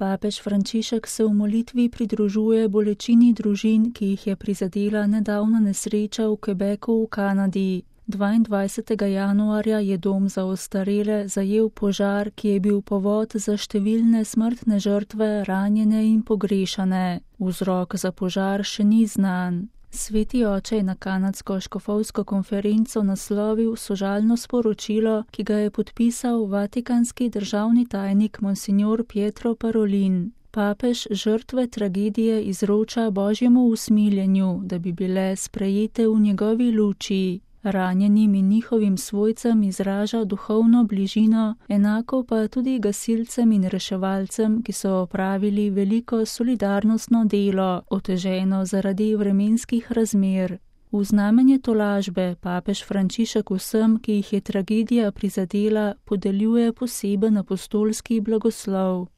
Papež Frančišek se v molitvi pridružuje bolečini družin, ki jih je prizadela nedavna nesreča v Quebecu v Kanadi. 22. januarja je dom za ostarele zajel požar, ki je bil povod za številne smrtne žrtve, ranjene in pogrešane. Vzrok za požar še ni znan. Sveti oče je na kanadsko škofovsko konferenco naslovil sožalno sporočilo, ki ga je podpisal vatikanski državni tajnik monsignor Pietro Parolin. Papež žrtve tragedije izroča Božjemu usmiljenju, da bi bile sprejete v njegovi luči. Ranjenim in njihovim svojcem izraža duhovno bližino, enako pa tudi gasilcem in reševalcem, ki so opravili veliko solidarnostno delo, oteženo zaradi vremenskih razmer. V znamenje tolažbe papež Frančišek vsem, ki jih je tragedija prizadela, podeljuje poseben apostolski blagoslov.